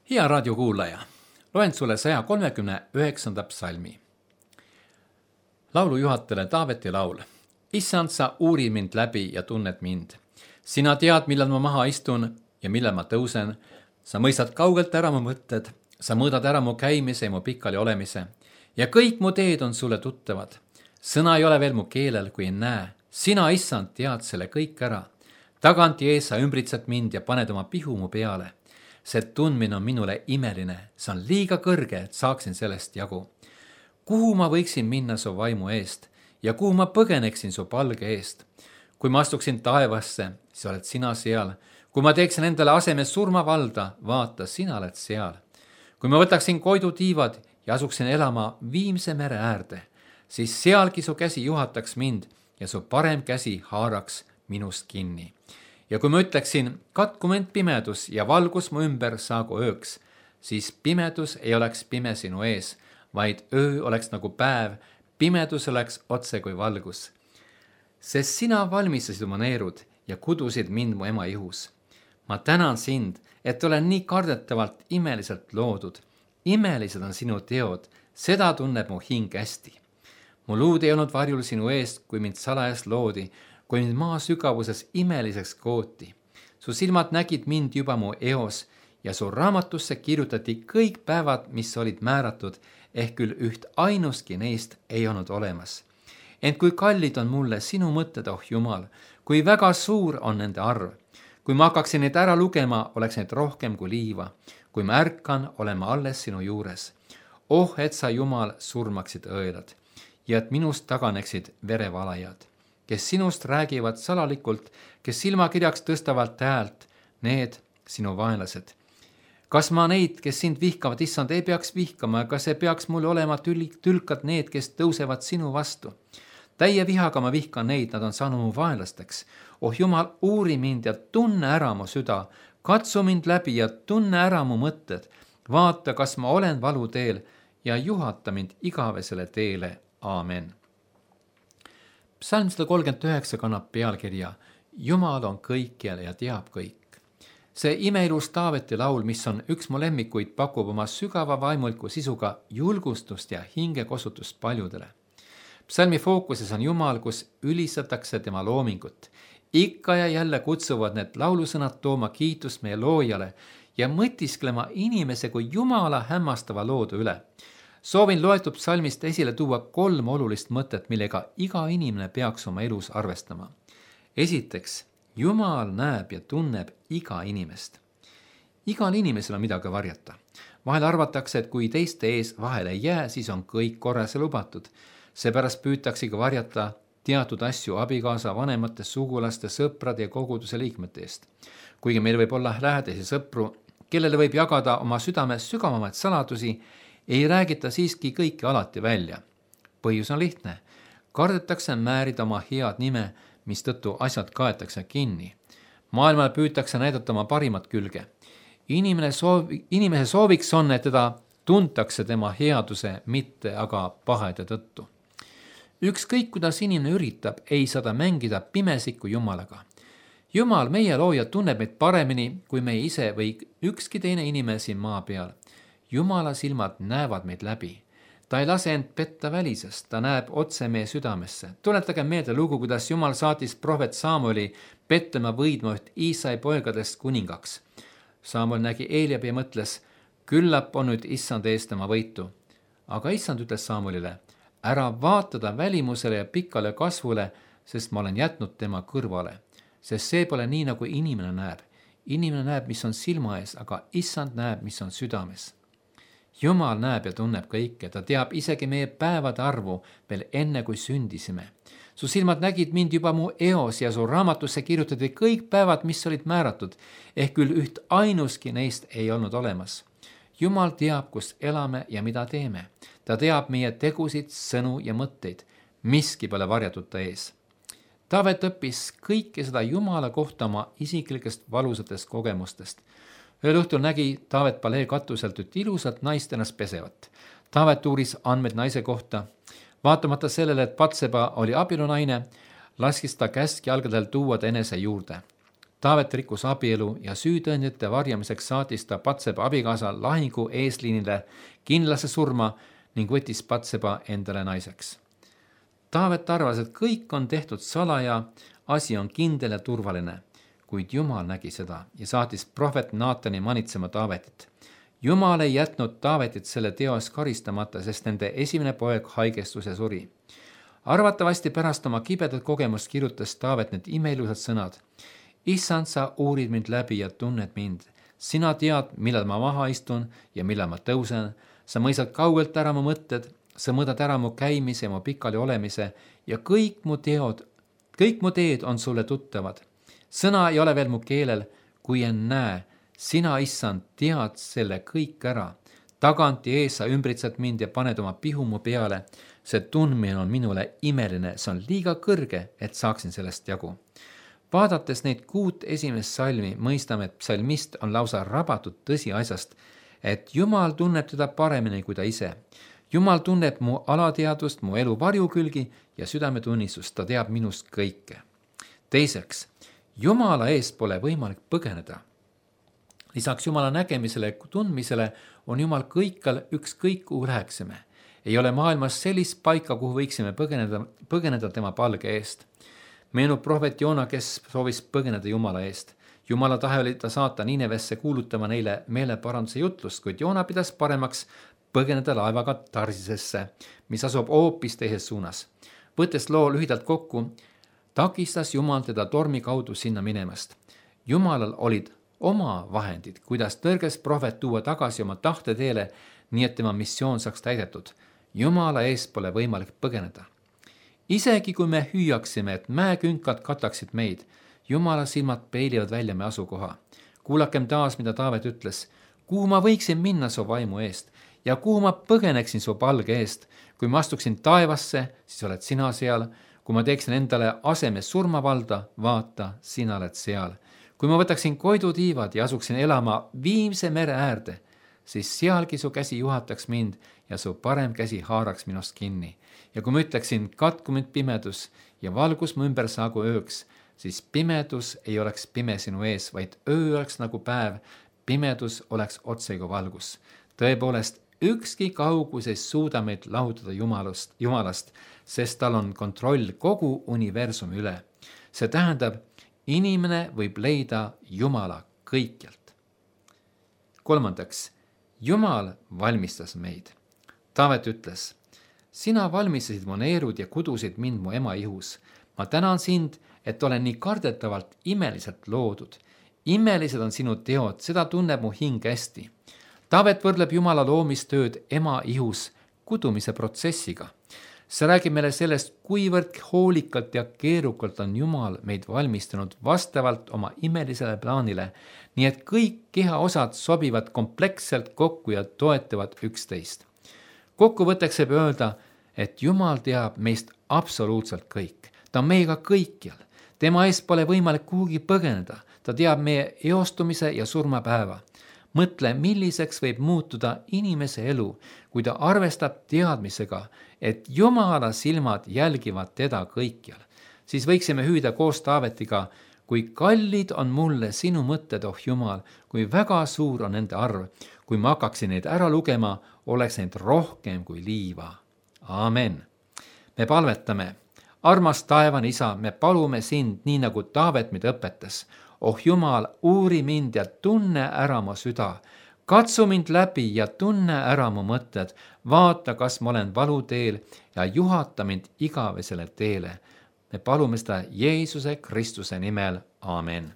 Hea raadiokuulaja, loen sulle 139. psalmi. Laulu juhatajale Taaveti laul. Issand, sa uurid mind läbi ja tunned mind. Sina tead, millal ma maha istun ja millal ma tõusen. Sa mõistad kaugelt ära mu mõtted, sa mõõdad ära mu käimise ja mu pikali olemise. Ja kõik mu teed on sulle tuttavad. Sõna ei ole veel mu keelel, kui ei näe. Sina, issand, tead selle kõik ära. Tagant ja ees sa ümbritsed mind ja paned oma pihu mu peale. See tundmine on minule imeline, see on liiga kõrge, et saaksin sellest jagu. Kuhu ma võiksin minna su vaimu eest ja kuhu ma põgeneksin su palge eest? Kui ma astuksin taevasse, siis oled sina seal. Kui ma teeksin endale aseme surmavalda, vaata, sina oled seal. Kui ma võtaksin koidutiivad ja asuksin elama Viimse mere äärde, siis sealgi su käsi juhataks mind ja su parem käsi haaraks minust kinni. Ja kui ma ütleksin, katku mind pimedus ja valgus mu ümber saagu ööks, siis pimedus ei oleks pime sinu ees, vaid öö oleks nagu päev, pimedus oleks otse kui valgus. Sest sina valmistasid oma neerud ja kudusid mind mu ema ihus. Ma tänan sind, et olen nii kardetavalt imeliselt loodud. Imelised on sinu teod, seda tunneb mu hing hästi. Mu luud ei olnud varjul sinu eest, kui mind salajas loodi, kui mind maa sügavuses imeliseks kooti. Su silmad nägid mind juba mu eos ja su raamatusse kirjutati kõik päevad, mis olid määratud, ehk küll üht ainustki neist ei olnud olemas. Ent kui kallid on mulle sinu mõtted, oh Jumal, kui väga suur on nende arv. Kui ma hakkaksin neid ära lugema, oleks neid rohkem kui liiva. Kui ma ärkan, olen ma alles sinu juures. Oh, et sa, Jumal, surmaksid õelad ja et minust taganeksid verevalajad, kes sinust räägivad salalikult, kes silmakirjaks tõstavalt häält, need sinu vaenlased. Kas ma neid, kes sind vihkavad, issand, ei peaks vihkama, kas ei peaks mulle olema tülkad need, kes tõusevad sinu vastu? Täie vihaga ma vihkan neid, nad on saanud mu vaenlasteks. Oh Jumal, uuri mind ja tunne ära mu süda, katsu mind läbi ja tunne ära mu mõtted. Vaata, kas ma olen valuteel ja juhata mind igavesele teele. Aamen. Psalm 139 kannab pealkirja Jumal on kõikjal ja teab kõik. See imeilus Taaveti laul, mis on üks mu lemmikuid, pakub oma sügava vaimuliku sisuga julgustust ja hingekosutust paljudele. Psalmi fookuses on Jumal, kus ülistatakse tema loomingut. Ikka ja jälle kutsuvad need laulusõnad tooma kiitust meie loojale ja mõtisklema inimese kui Jumala hämmastava loodu üle. Soovin loetud psalmist esile tuua 3 olulist mõtet, millega iga inimene peaks oma elus arvestama. Esiteks, Jumal näeb ja tunneb iga inimest. Igal inimesel on midagi varjata. Vahel arvatakse, et kui teiste ees vahele ei jää, siis on kõik korras ja lubatud. Seepärast püütaksegi varjata teatud asju abikaasa, vanemate, sugulaste, sõprade ja koguduse liikmete eest. Kuigi meil võib olla lähedasi sõpru, kellele võib jagada oma südames sügavamaid saladusi, ei räägita siiski kõike alati välja. Põhjus on lihtne. Kardetakse määrida oma head nime, mistõttu asjad kaetakse kinni. Maailmal püütakse näidata oma parimat külge. Inimese sooviks on, et teda tuntakse tema headuse, mitte aga pahede tõttu. Ükskõik, kuidas inimene üritab, ei saa ta mängida pimesikku Jumalaga. Jumal, meie looja, tunneb meid paremini kui meie ise või ükski teine inimene siin maa peal. Jumala silmad näevad meid läbi. Ta ei lase end petta välisest, ta näeb otse meie südamesse. Tuletage meelde lugu, kuidas Jumal saatis prohvet Samueli Betlema võidma üht Iisai poegadest kuningaks. Samuel nägi Eliabi ja mõtles, küllap on nüüd issand eest tema võitu. Aga issand ütles Samuelile, ära vaatada välimusele ja pikale kasvule, sest ma olen jätnud tema kõrvale. Sest see pole nii, nagu inimene näeb. Inimene näeb, mis on silma ees, aga issand näeb, mis on südames. Jumal näeb ja tunneb kõike, ta teab isegi meie päevade arvu veel enne, kui sündisime. Su silmad nägid mind juba mu eos ja su raamatusse kirjutati kõik päevad, mis olid määratud, ehk küll üht ainuski neist ei olnud olemas. Jumal teab, kus elame ja mida teeme. Ta teab meie tegusid, sõnu ja mõtteid. Miski pole varjatud ta ees. Taavet õppis kõike seda Jumala kohta oma isiklikest valusatest kogemustest. Ühel õhtul nägi Taavet palee katuselt üht ilusat naist ennast pesevat. Taavet uuris andmed naise kohta. Vaatamata sellele, et Batseba oli abielunaine, laskis ta käskjalgadel tuua ta enese juurde. Taavet rikkus abielu ja süütõendite varjamiseks saatis ta Batseba abikaasa lahingu eesliinile kindlasse surma ning võttis Batseba endale naiseks. Taavet arvas, et kõik on tehtud salaja, asi on kindel ja turvaline, kuid Jumal nägi seda ja saatis prohvet Naatani manitsema Taavetit. Jumal ei jätnud Taavetit selle teo eest karistamata, sest nende esimene poeg haigestus ja suri. Arvatavasti pärast oma kibedat kogemust kirjutas Taavet need imeilusad sõnad. Issand, sa uurid mind läbi ja tunned mind. Sina tead, millal ma maha istun ja millal ma tõusen. Sa mõistad kaugelt ära mu mõtted, sa mõõdad ära mu käimise ja mu pikali olemise ja kõik mu teed on sulle tuttavad. Sõna ei ole veel mu keelel, kui en näe. Sina, issand, tead selle kõik ära. Tagant ja ees sa ümbritsed mind ja paned oma pihu mu peale. See tundmine on minule imeline, see on liiga kõrge, et saaksin sellest jagu. Vaadates neid 6 esimest salmi, mõistame, et psalmist on lausa rabatud tõsiasjast, et Jumal tunneb teda paremini kui ta ise. Jumal tunneb mu alateadvust, mu elu varjukülgi ja südametunnistust, ta teab minust kõike. Teiseks, Jumala eest pole võimalik põgeneda. Lisaks Jumala nägemisele ja tundmisele on Jumal kõikjal ükskõik kuhu läheksime. Ei ole maailmas sellist paika, kuhu võiksime põgeneda tema palge eest. Meenub prohvet Joona, kes soovis põgeneda Jumala eest. Jumala tahe oli ta saata Ninevesse kuulutama neile meeleparanduse jutlust, kuid Joona pidas paremaks põgeneda laevaga Tarsisesse, mis asub hoopis teises suunas. Võttes loo lühidalt kokku, takistas Jumal teda tormi kaudu sinna minemast. Jumalal olid oma vahendid, kuidas tõrges prohvet tuua tagasi oma tahteteele, nii et tema missioon saaks täidetud. Jumala eest pole võimalik põgeneda. Isegi kui me hüüaksime, et mäekünkad kataksid meid, Jumala silmad peilivad välja me asukoha. Kuulakem taas, mida Taavet ütles. Kuhu ma võiksin minna su vaimu eest ja kuhu ma põgeneksin su palge eest? Kui ma astuksin taevasse, siis oled sina seal. Kui ma teeksin endale aseme surmavalda, vaata, sina oled seal. Kui ma võtaksin koidutiivad ja asuksin elama viimse mere äärde, siis sealgi su käsi juhataks mind ja su parem käsi haaraks minust kinni. Ja kui ma ütleksin, katku mind pimedus ja valgus mu ümber saagu ööks, siis pimedus ei oleks pime sinu ees, vaid öö oleks nagu päev, pimedus oleks otsega valgus. Tõepoolest, ükski kaugus ei suuda meid lahutada Jumalast, sest tal on kontroll kogu universumi üle. See tähendab, inimene võib leida Jumala kõikjalt. Kolmandaks, Jumal valmistas meid. Taavet ütles, sina valmistasid mu neerud ja kudusid mind mu ema ihus. Ma tänan sind, et olen nii kardetavalt imeliselt loodud. Imelised on sinu teod, seda tunneb mu hing hästi. Taavet võrdleb Jumala loomistööd ema ihus kudumise protsessiga. See räägib meile sellest, kuivõrd hoolikalt ja keerukalt on Jumal meid valmistanud vastavalt oma imelisele plaanile, nii et kõik kehaosad sobivad kompleksselt kokku ja toetavad üksteist. Kokkuvõtteks võib öelda, et Jumal teab meist absoluutselt kõik. Ta on meiega kõikjal. Tema eest pole võimalik kuhugi põgeneda. Ta teab meie eostumise ja surmapäeva. Mõtle, milliseks võib muutuda inimese elu, kui ta arvestab teadmisega, et Jumala silmad jälgivad teda kõikjal. Siis võiksime hüüda koos Taavetiga, kui kallid on mulle sinu mõtted, oh Jumal, kui väga suur on nende arv. Kui ma hakkaksin neid ära lugema, oleks neid rohkem kui liiva. Aamen. Me palvetame. Armas taevane isa, me palume sind nii nagu Taavet meid õpetas. Oh Jumal, uuri mind ja tunne ära mu süda. Katsu mind läbi ja tunne ära mu mõtted. Vaata, kas ma olen valuteel ja juhata mind igavesele teele. Me palume seda Jeesuse Kristuse nimel. Aamen.